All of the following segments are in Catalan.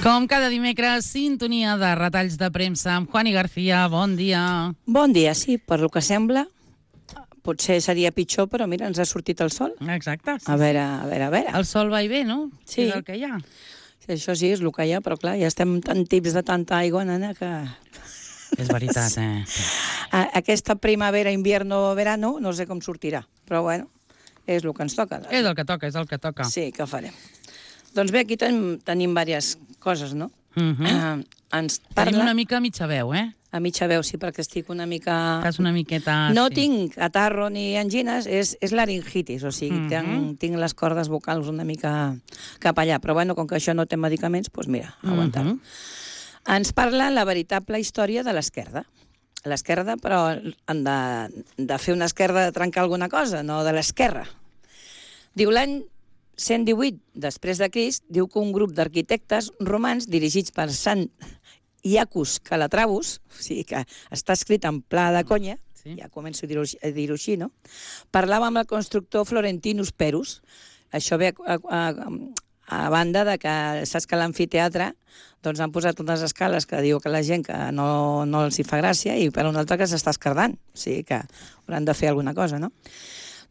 Com cada dimecres, sintonia de retalls de premsa amb Juani García. Bon dia. Bon dia, sí, per lo que sembla. Potser seria pitjor, però mira, ens ha sortit el sol. Exacte. Sí, a veure. El sol va i ve, no? Sí. És el que hi ha. Això sí, és el que hi ha, però clar, ja estem tan tips de tanta aigua, nena, que... És veritat, Aquesta primavera, invierno, verano, no sé com sortirà, però bueno, és el que ens toca. És el que toca, és el que toca. Sí, què farem? Doncs bé, aquí tenim diverses coses, no? Ens parla... Tenim una mica a mitja veu, A mitja veu, sí, perquè estic una mica... Estàs una miqueta... No sí. tinc catarro ni angines, és laringitis, o sigui, tinc les cordes vocals una mica cap allà, però bueno, com que això no té medicaments, doncs mira, aguantar-ho. Ens parla la veritable història de l'esquerda. L'esquerda, però han de fer una esquerda de trencar alguna cosa, no de l'esquerra. Diu, l'any 118 després de Crist, diu que un grup d'arquitectes romans dirigits per Sant Iacus Calatravus, o sigui que està escrit en pla de conya, sí. Ja començo a dir-ho així, no? Parlava amb el constructor Florentinus Perus. Això ve a banda de que saps que a l'amfiteatre doncs han posat unes escales que diu que la gent que no els hi fa gràcia i per una altra que s'està escardant. O sigui que hauran de fer alguna cosa, no?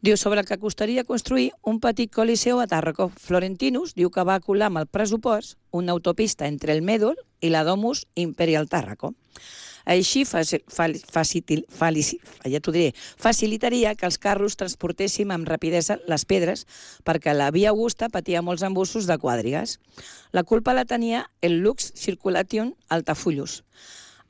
Diu, sobre el que costaria construir un petit coliseu a Tàrraco. Florentinus diu que va colar amb el pressupost una autopista entre el Mèdol i la Domus Imperial Tàrraco. Així facilitaria que els carros transportéssim amb rapidesa les pedres perquè la via Augusta patia molts embussos de quadrigues. La culpa la tenia el Lux Circulation Altafullus.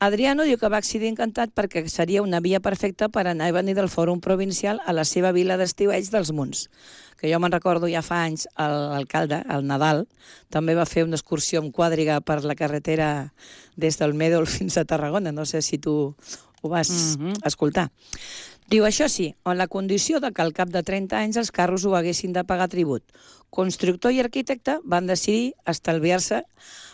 Adriano diu que va accedir encantat perquè seria una via perfecta per anar i venir del Fòrum Provincial a la seva vila d'estiueig dels Munts. Que jo me'n recordo ja fa anys, l'alcalde, el Nadal, també va fer una excursió amb quadriga per la carretera des del Mèdol fins a Tarragona. No sé si tu ho vas escoltar. Diu, això sí, en la condició de que al cap de 30 anys els carros ho haguessin de pagar tribut. Constructor i arquitecte van decidir estalviar-se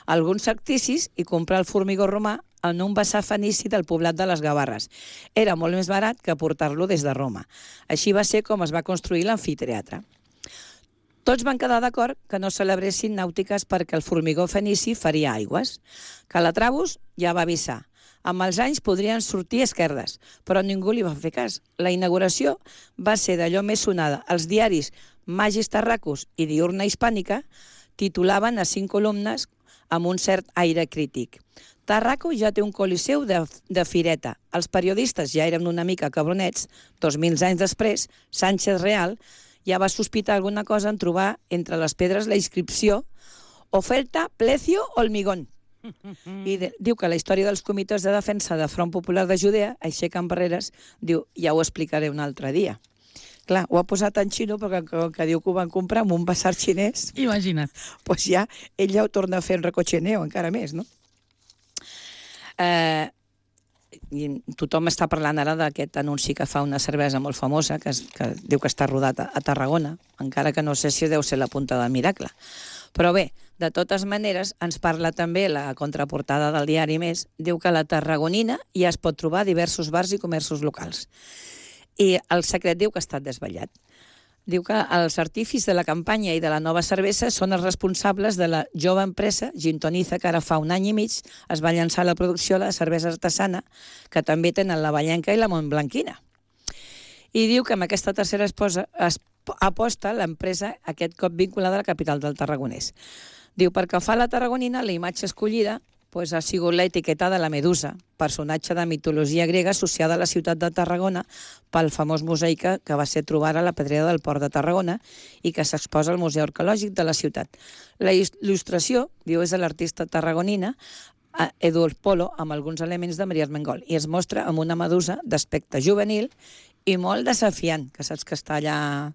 alguns sacrificis i comprar el formigó romà en un vessar fenici del poblat de les Gavarres. Era molt més barat que portar-lo des de Roma. Així va ser com es va construir l'amfiteatre. Tots van quedar d'acord que no celebressin nàutiques perquè el formigó fenici faria aigües. Calatravus ja va avisar. Amb els anys podrien sortir esquerdes, però ningú li va fer cas. La inauguració va ser d'allò més sonada. Els diaris Magis Tarracus i Diurna Hispànica titulaven a 5 columnes amb un cert aire crític. Tarraco ja té un coliseu de fireta. Els periodistes ja eren una mica cabronets. 2000 anys després, Sánchez Real ja va sospitar alguna cosa en trobar entre les pedres la inscripció Oferta, Plecio, Hormigón. I diu que la història dels comitès de defensa de Front Popular de Judea aixequen barreres, diu, ja ho explicaré un altre dia. Clar, ho ha posat en xino perquè que diu que ho van comprar amb un basar xinès. Imagina't. Doncs ja, ell ja ho torna a fer en recochineo, encara més, no? I tothom està parlant ara d'aquest anunci que fa una cervesa molt famosa, que diu que està rodat a Tarragona, encara que no sé si deu ser la punta del miracle. Però bé, de totes maneres, ens parla també la contraportada del diari Més, diu que a la Tarragonina ja es pot trobar diversos bars i comerços locals. I el secret diu que ha estat desvetllat. Diu que els artífits de la campanya i de la nova cervesa són els responsables de la jove empresa Gintoniza, que ara fa un any i mig es va llançar la producció de la cervesa artesana, que també tenen la Vallenca i la Montblanquina. I diu que amb aquesta tercera aposta l'empresa aquest cop vinculada a la capital del Tarragonès. Diu, perquè fa la Tarragonina, la imatge escollida ha sigut l'etiqueta de la Medusa, personatge de mitologia grega associada a la ciutat de Tarragona pel famós mosaic que va ser trobar a la pedrera del port de Tarragona i que s'exposa al Museu Arqueològic de la ciutat. La il·lustració, diu, és de l'artista tarragonina Eduard Polo, amb alguns elements de Maria Armengol, i es mostra amb una medusa d'aspecte juvenil i molt desafiant, que saps que està allà...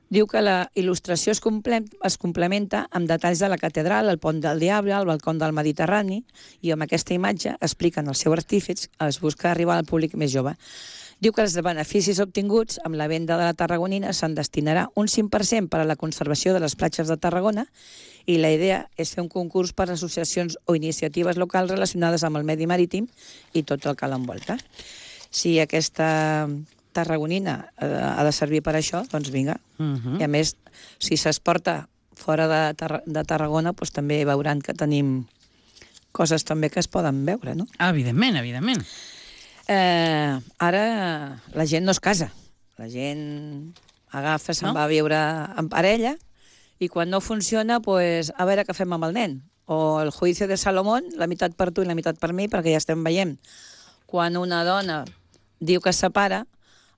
Diu que la il·lustració es complementa amb detalls de la catedral, el pont del Diable, el balcó del Mediterrani, i amb aquesta imatge expliquen el seu artífex, es busca arribar al públic més jove. Diu que els beneficis obtinguts amb la venda de la Tarragonina se'n destinarà un 5% per a la conservació de les platges de Tarragona i la idea és fer un concurs per a associacions o iniciatives locals relacionades amb el medi marítim i tot el que l'envolta. Si aquesta Tarragonina ha de servir per això, doncs vinga. I a més, si s'exporta fora de Tarragona doncs, també veuran que tenim coses també que es poden veure, no? Evidentment, evidentment. Ara la gent no es casa. La gent agafa, se'n va a viure en parella i quan no funciona, pues, a veure què fem amb el nen. O el juicio de Salomón, la meitat per tu i la meitat per mi, perquè ja estem veient. Quan una dona diu que es separa,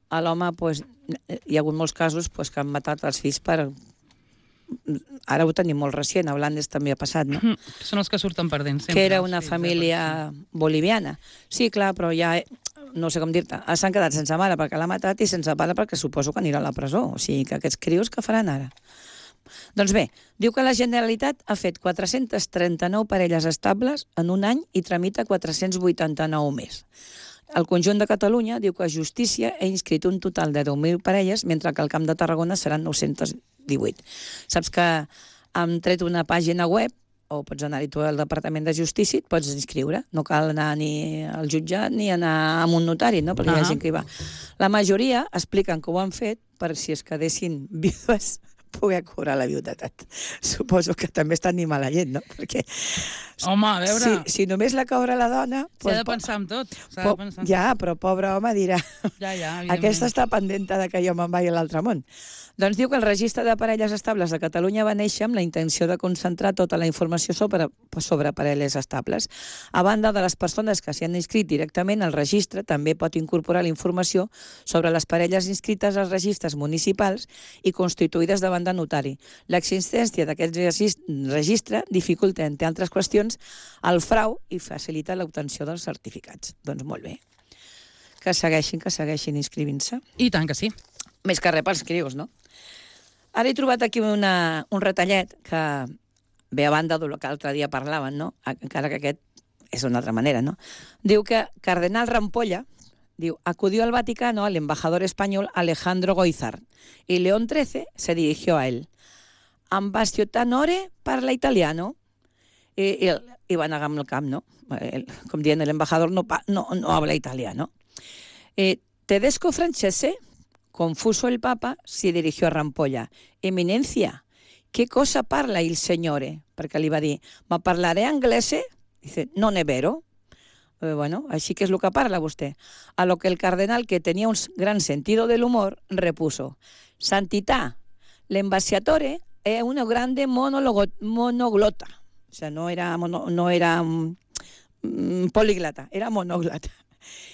a l'home, pues, hi ha hagut molts casos pues, que han matat els fills per... Ara ho tenim molt recient, a Blanes també ha passat, no? Són els que surten perdent sempre. Que era una família boliviana. Sí, clar, però ja, no sé com dir-te, s'han quedat sense mare perquè l'ha matat i sense pare perquè suposo que anirà a la presó. O sigui, que aquests crios què faran ara? Doncs bé, diu que la Generalitat ha fet 439 parelles estables en un any i tramita 489 més. El conjunt de Catalunya diu que Justícia ha inscrit un total de 10.000 parelles, mentre que al Camp de Tarragona seran 918. Saps que hem tret una pàgina web, o pots anar-hi tu al Departament de Justícia, et pots inscriure. No cal anar ni al jutjat ni anar a un notari, no? Perquè hi ha gent que hi va. La majoria expliquen que ho han fet per si es quedessin vídues poder cobrar la viudetat. Suposo que també està animar la gent, no? Perquè... Home, a veure... Si només la cobra la dona... S'ha de pensar en tot. Ja, però pobre home dirà... Ja, aquesta està pendenta de que jo me'n vaig a l'altre món. Doncs diu que el registre de parelles estables de Catalunya va néixer amb la intenció de concentrar tota la informació sobre parelles estables. A banda de les persones que s'hi han inscrit directament, el registre també pot incorporar la informació sobre les parelles inscrites als registres municipals i constituïdes davant de notari. L'existència d'aquest registre dificulta, entre altres qüestions, el frau i facilita l'obtenció dels certificats. Doncs molt bé. Que segueixin inscrivint-se. I tant que sí. Més que res pels crios, no? Ara he trobat aquí un retallet que ve a banda del que l'altre dia parlaven, no? Encara que aquest és d'una altra manera, ¿no? Diu que Cardenal Rampolla, diu, acudió al Vaticano al embajador español Alejandro Goizar y León XIII se dirigió a él. Ambasciatanore parla italiano. I va negar amb el camp, no? Com dient, el embajador no habla italiano. Tedesco francese, confuso el Papa, si dirigió a Rampolla. Eminencia, ¿qué cosa parla il signore? Perquè li va dir, ma parlaré anglese? Dice, non è vero. Bueno, així que és el que parla vostè. A lo que el cardenal, que tenía un gran sentido del humor, repuso, Santità, l'embasciatore è una grande monoglota. O sea, no era políglota, era monoglota.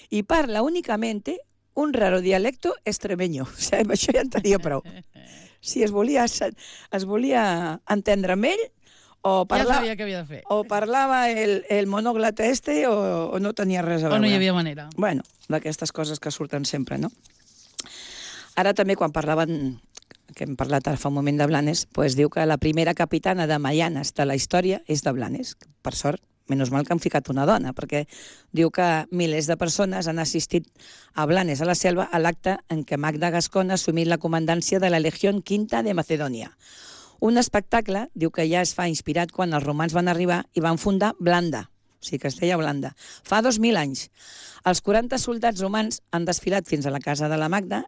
Y parla únicamente un raro dialecto extremeño. O sigui, això ja en tenia prou. Si es volia entendre amb ell, o ja sabia què havia de fer. O parlava el monoglota o no tenia res a veure. O no hi havia manera. Bueno, d'aquestes coses que surten sempre, no? Ara també, quan parlaven, que hem parlat ara fa un moment de Blanes, doncs diu que la primera capitana de Maianes de la història és de Blanes. Per sort, menys mal que han ficat una dona, perquè diu que milers de persones han assistit a Blanes a la Selva a l'acte en què Magda Gascón ha assumit la comandància de la Legió Quinta de Macedònia. Un espectacle, diu que ja es fa inspirat quan els romans van arribar i van fundar Blanda, o sigui que es deia Blanda, fa 2.000 anys. Els 40 soldats romans han desfilat fins a la casa de la Magda,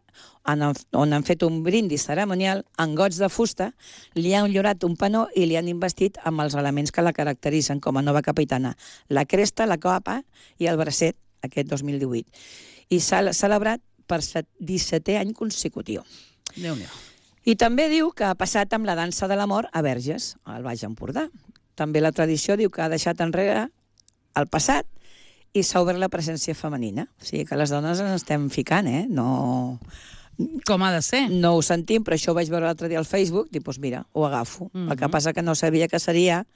on han fet un brindis ceremonial en gots de fusta, li han llorat un panó i li han investit amb els elements que la caracteritzen com a nova capitana, la cresta, la capa i el bracet, aquest 2018. I s'ha celebrat per 17è any consecutiu. Déu-n'hi-do. I també diu que ha passat amb la dansa de l'amor a Verges, al Baix Empordà. També la tradició diu que ha deixat enrere el passat i s'ha obert la presència femenina. O sigui que les dones ens estem ficant, No... Com ha de ser. No ho sentim, però això ho vaig veure l'altre dia al Facebook, i doncs mira, ho agafo. El que passa que no sabia que seria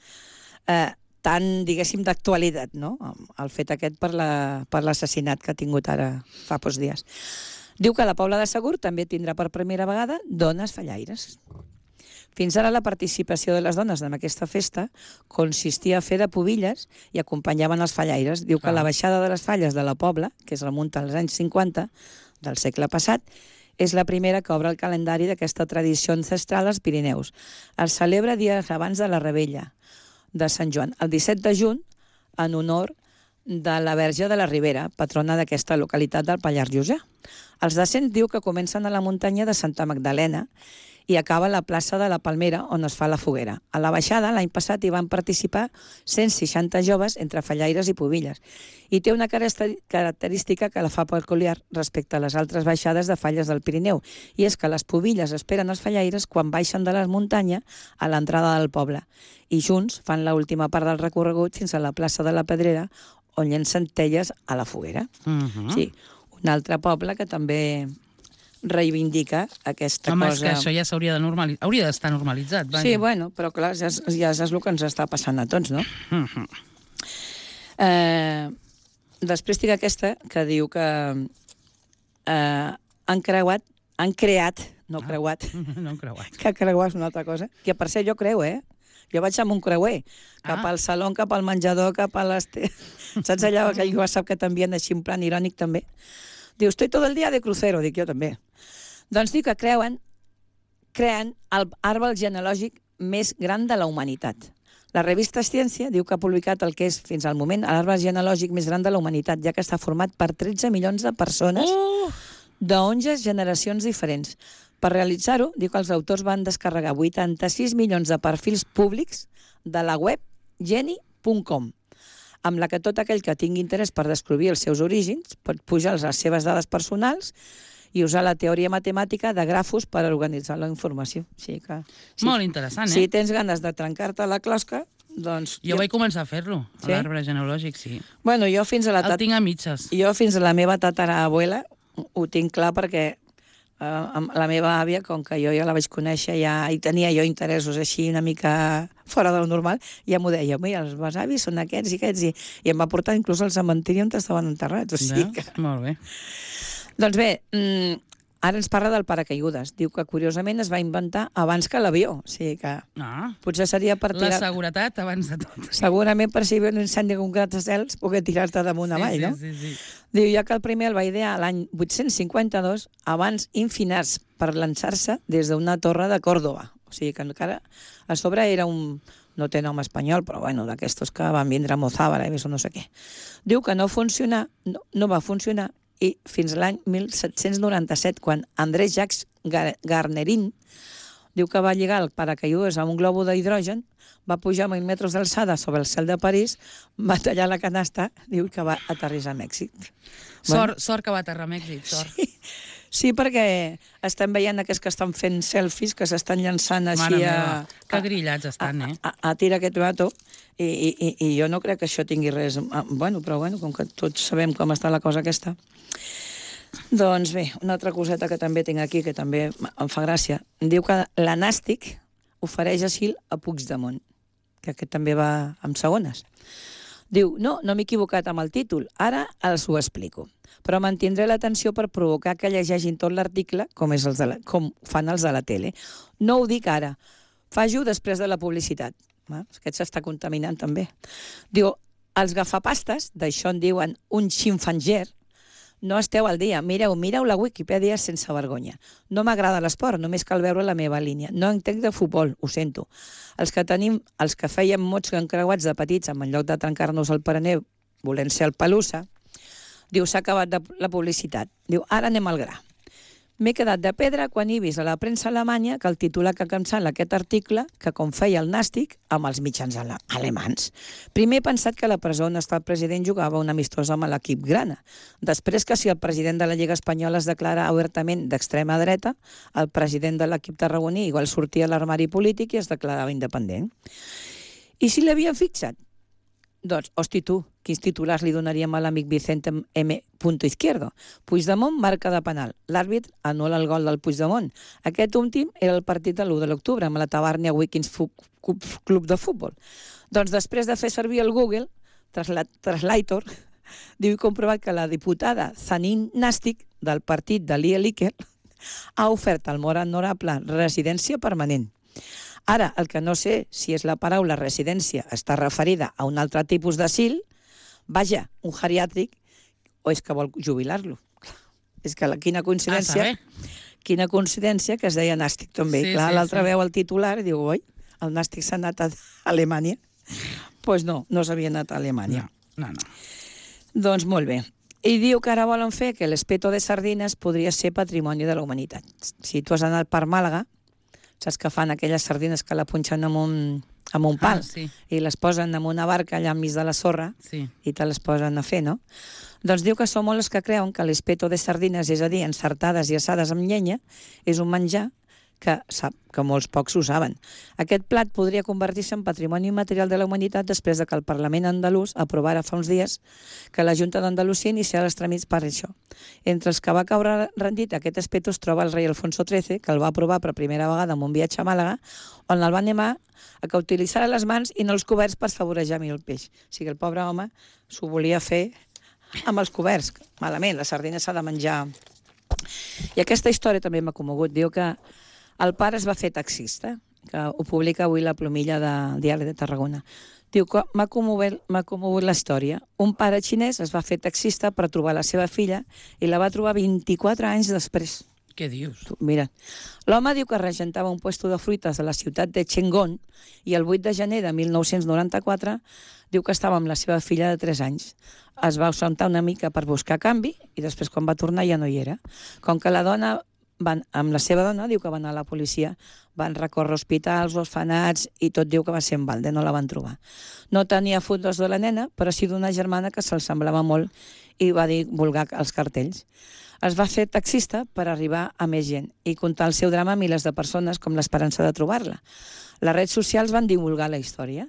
tan, diguéssim, d'actualitat, no? El fet aquest per l'assassinat que ha tingut ara fa pocs dies. Diu que la Pobla de Segur també tindrà per primera vegada dones fallaires. Fins ara la participació de les dones en aquesta festa consistia a fer de pubilles i acompanyaven els fallaires. Diu que la baixada de les falles de la Pobla, que es remunta als anys 50 del segle passat, és la primera que obre el calendari d'aquesta tradició ancestral als Pirineus. Es celebra dies abans de la Rebella de Sant Joan, el 17 de juny, en honor de la Verge de la Ribera, patrona d'aquesta localitat del Pallars Jussà. Els descens diu que comencen a la muntanya de Santa Magdalena i acaba a la plaça de la Palmera, on es fa la foguera. A la baixada, l'any passat, hi van participar 160 joves entre fallaires i pubilles. I té una característica que la fa peculiar respecte a les altres baixades de falles del Pirineu, i és que les pubilles esperen els fallaires quan baixen de la muntanya a l'entrada del poble. I junts fan l'última part del recorregut fins a la plaça de la Pedrera, on llencen telles a la foguera. Sí, un altre poble que també reivindica aquesta cosa... Home, cosa... és que això ja s'hauria de normalitzar. Hauria d'estar normalitzat, vaja. Sí, bueno, però clar, ja és el que ens està passant a tots, no? Després tinc aquesta que diu que han creat, no creuat, que creuar és una altra cosa, que per ser jo creu, Jo vaig amb un creuer, cap al saló, cap al menjador, cap a saps allà aquell WhatsApp que t'envien així en plan irònic també? Diu, estoy todo el día de crucero, dic jo també. Doncs diu que creen l'arbre genealògic més gran de la humanitat. La revista Ciència diu que ha publicat el que és, fins al moment, l'arbre genealògic més gran de la humanitat, ja que està format per 13 milions de persones d'11 generacions diferents. Per realitzar-ho, diu que els autors van descarregar 86 milions de perfils públics de la web geni.com, amb la que tot aquell que tingui interès per descobrir els seus orígens pot pujar les seves dades personals i usar la teoria matemàtica de grafos per organitzar la informació. Molt interessant, Si tens ganes de trencar-te la closca, doncs... Jo vaig començar a fer-lo, a l'arbre genealògic, sí. Bueno, jo fins a el tinc a mitges. Jo fins a la meva tatarabuela ho tinc clar perquè la meva àvia, com que jo ja la vaig conèixer, ja hi tenia jo interessos així una mica fora del normal, ja m'ho deia, mira, els besavis són aquests i aquests, i em va portar inclús al cementiri on estaven enterrats. Molt bé. Doncs bé, ara ens parla del paracaigudes. Diu que, curiosament, es va inventar abans que l'avió. O sigui que potser seria per tirar... La seguretat abans de tot. Segurament per si hi havia un incendi amb un gratacels, poder tirar-te damunt avall, no? Sí. Diu, ja que el primer el va idear l'any 852, abans infinats per llançar-se des d'una torre de Còrdova. O sigui que encara a sobre era un... No té nom espanyol, però bueno, d'aquestos que van vindre a Mozàbara o no sé què. Diu que no va funcionar i fins a l'any 1797, quan André Jacques Garnerin diu que va lligar el paracaigudes a un globo d'hidrogen, va pujar a 1.000 metres d'alçada sobre el cel de París, va tallar la canasta, diu que va aterrissar a Mèxic. Sort que va aterrar a Mèxic, sort. Sí, perquè estem veient aquests que estan fent selfies, que s'estan llançant així que grillats estan, a tirar aquest rato, i jo no crec que això tingui res... Bueno, però com que tots sabem com està la cosa aquesta. Doncs bé, una altra coseta que també tinc aquí, que també em fa gràcia. Diu que la Nàstic ofereix asil a Puigdemont, que aquest també va amb segones. Diu, no m'he equivocat amb el títol, ara els ho explico. Però mantindré l'atenció per provocar que llegeixin tot l'article com fan els de la tele. No ho dic ara, faig-ho després de la publicitat. Aquest s'està contaminant també. Diu, els gafapastes, d'això en diuen un xinfanger, no esteu al dia. Mireu la Wikipedia sense vergonya. No m'agrada l'esport, només cal veure la meva línia. No entenc de futbol, ho sento. Els que fèiem mots encreuats de petits, en lloc de trencar-nos el paraneu, volent ser el pelusa, diu, s'ha acabat la publicitat. Diu, ara anem al gra. M'he quedat de pedra quan he vist a la premsa alemanya que el titular que cancel·la aquest article, que com feia el Nàstic, amb els mitjans alemans. Primer he pensat que a la presó on està el president jugava un amistós amb l'equip grana. Després que si el president de la Lliga Espanyola es declara obertament d'extrema dreta, el president de l'equip tarragoní igual sortia a l'armari polític i es declarava independent. I si l'havien fixat? Doncs, hosti tu, quins titulars li donaríem a l'amic Vicente M. Izquierdo? Puigdemont marca de penal. L'àrbit anul·la el gol del Puigdemont. Aquest últim era el partit de l'1 de l'octubre amb la Tabarnia Wiggins Club de Futbol. Doncs després de fer servir el Google Translator, diu i comprovat que la diputada Zanin Nàstic del partit de Lia Líquer ha ofert al molt honorable residència permanent. Ara, el que no sé si és la paraula residència està referida a un altre tipus d'asil, vaja, un geriàtric, o és que vol jubilar-lo. És que quina coincidència que es deia Nàstic també. Clar, l'altre veu el titular i diu, oi, el Nàstic s'ha anat a Alemanya. Doncs no s'havia anat a Alemanya. No. Doncs molt bé. I diu que ara volen fer que l'espeto de sardines podria ser patrimoni de la humanitat. Si tu has anat per Màlaga, saps que fan aquelles sardines que la punxen amb un pal sí. i les posen en una barca allà enmig de la sorra Sí. i te les posen a fer, no? Doncs diu que són molts els que creuen que l'espeto de sardines, és a dir, encertades i assades amb llenya, és un menjar que molts pocs ho saben. Aquest plat podria convertir-se en patrimoni immaterial de la humanitat després de que el Parlament andalús aprovara fa uns dies que la Junta d'Andalusia iniciarà els tràmits per això. Entre els que va caure rendit aquest espeto es troba el rei Alfonso XIII, que el va aprovar per primera vegada en un viatge a Màlaga, on el va animar a que utilitzara les mans i no els coberts per favorejar millor el peix. O sigui, el pobre home s'ho volia fer amb els coberts. Malament, la sardina s'ha de menjar. I aquesta història també m'ha commogut. Diu que el pare es va fer taxista, que ho publica avui la Plomilla del Diari de Tarragona. Diu que m'ha commogut la història. Un pare xinès es va fer taxista per trobar la seva filla i la va trobar 24 anys després. Què dius? Mira, l'home diu que regentava un puesto de fruites a la ciutat de Chengón i el 8 de gener de 1994 diu que estava amb la seva filla de 3 anys. Es va ausentar una mica per buscar canvi i després quan va tornar ja no hi era. Com que la dona amb la seva dona, diu que van anar a la policia, van recórrer hospitals, orfenats i tot diu que va ser en balde, no la van trobar. No tenia fotos de la nena, però sí d'una germana que se'l semblava molt i va dir vulgar als cartells. Es va fer taxista per arribar a més gent i contar el seu drama a milers de persones com l'esperança de trobar-la. Les redes socials van divulgar la història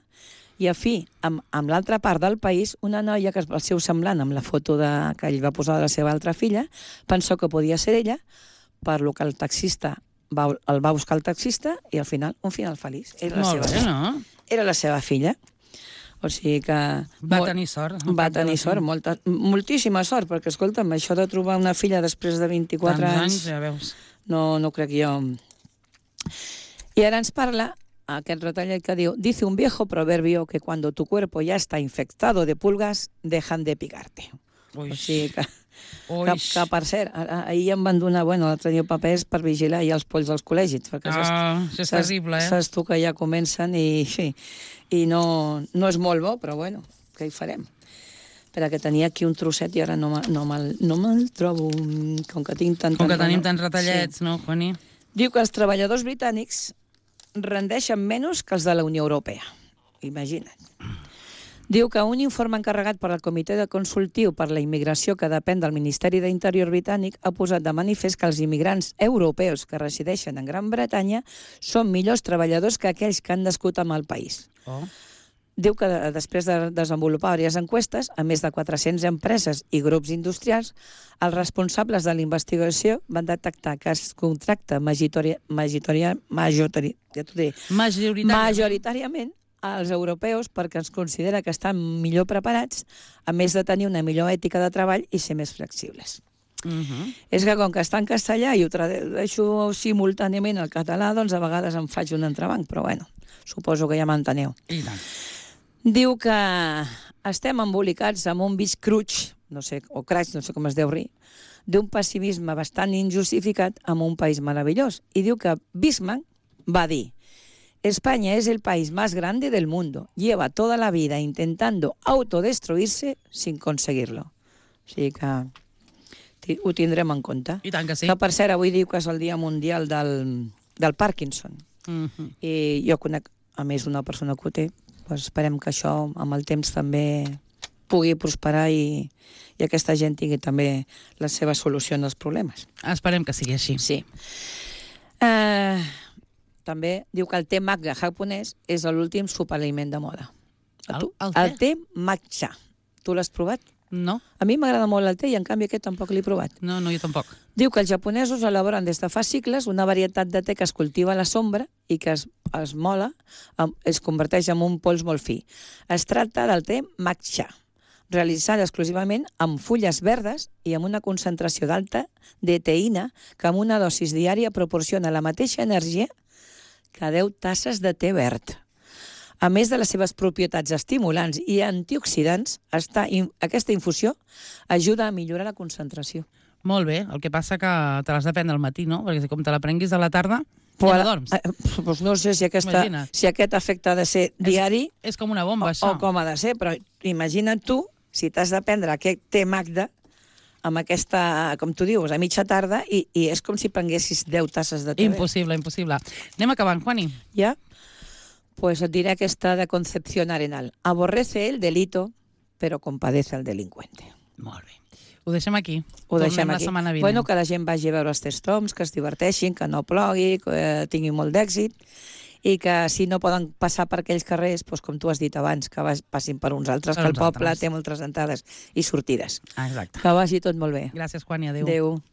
i a fi, amb l'altra part del país, una noia que el seu semblant amb la foto que ell va posar de la seva altra filla pensó que podia ser ella, per lo que el taxista el va buscar el taxista i al final, un final feliç. Molt bé, no? Era la seva filla. O sigui que... Va tenir sort. Va tenir sort, moltíssima sort, perquè, escolta'm, això de trobar una filla després de 24 anys... ja veus. No crec jo. I ara ens parla aquest retallet que diu: dice un viejo proverbio que cuando tu cuerpo ya está infectado de pulgas, dejan de picarte. Uix. O sigui que per cert, ahir em van donar, l'altre dia papers per vigilar ja els polls dels col·legis. Això és terrible, Saps tu que ja comencen i no és molt bo, però què hi farem? Espera, que tenia aquí un trosset i ara no me'l trobo, com que tinc tant... Com que tenim tants retallets, no, Juani? Diu que els treballadors britànics rendeixen menys que els de la Unió Europea. Imagina't. Diu que un informe encarregat per al Comitè de Consultiu per la Immigració que depèn del Ministeri d'Interior britànic ha posat de manifest que els immigrants europeus que resideixen en Gran Bretanya són millors treballadors que aquells que han nascut en el país. Diu que després de desenvolupar diverses enquestes, a més de 400 empreses i grups industrials, els responsables de la investigació van detectar que es contracta majoritàriament als europeus perquè ens considera que estan millor preparats, a més de tenir una millor ètica de treball i ser més flexibles. És que com que està en castellà i ho tradueixo simultàniament al català, doncs a vegades em faig un entrebanc, però suposo que ja m'enteneu. I tant. Diu que estem embolicats amb un vist cruig, no sé com es deu dir, d'un pessimisme bastant injustificat amb un país meravellós. I diu que Bismarck va dir: España es el país más grande del mundo. Lleva toda la vida intentando autodestruirse sin conseguirlo. O sigui que ho tindrem en compte. I tant que sí. Que, per cert, avui diu que és el Dia Mundial del Parkinson. I jo conec, a més, una persona que ho té. Esperem que això, amb el temps, també pugui prosperar i aquesta gent tingui també la seva solució als problemes. Esperem que sigui així. Sí. També diu que el te matcha japonès és l'últim superaliment de moda. El te matcha. Tu l'has provat? No. A mi m'agrada molt el te i en canvi aquest tampoc l'he provat. No, jo tampoc. Diu que els japonesos elaboren des de fa segles una varietat de te que es cultiva a la sombra i que es mola, es converteix en un pols molt fi. Es tracta del te matcha, realitzat exclusivament amb fulles verdes i amb una concentració d'alta de teïna que amb una dosis diària proporciona la mateixa energia que 10 tasses de te verd. A més de les seves propietats estimulants i antioxidants, aquesta infusió ajuda a millorar la concentració. Molt bé, el que passa que te l'has de prendre al matí, no? Perquè com te la prenguis a la tarda, ja no dorms. Doncs no sé si aquest efecte ha de ser diari... És com una bomba, això. O com ha de ser, però imagina't tu si t'has de prendre aquest té Magda, amb aquesta, com tu dius, a mitja tarda, i és com si prenguessis 10 tasses de té. Impossible, impossible. Anem acabant, Juani. Ja? Pues et diré aquesta de Concepción Arenal. Aborrece el delito, però compadece el delincuente. Molt bé. Ho deixem aquí. Ho deixem Tornem aquí. la setmana vinent. Bueno, que la gent vagi a veure els testoms, que es diverteixin, que no plogui, que tinguin molt d'èxit, i que si no poden passar per aquells carrers, doncs, com tu has dit abans, que passin per uns altres, que el poble té moltes entrades i sortides. Exacte. Que vagi tot molt bé. Gràcies, Juani. Adéu. Adéu.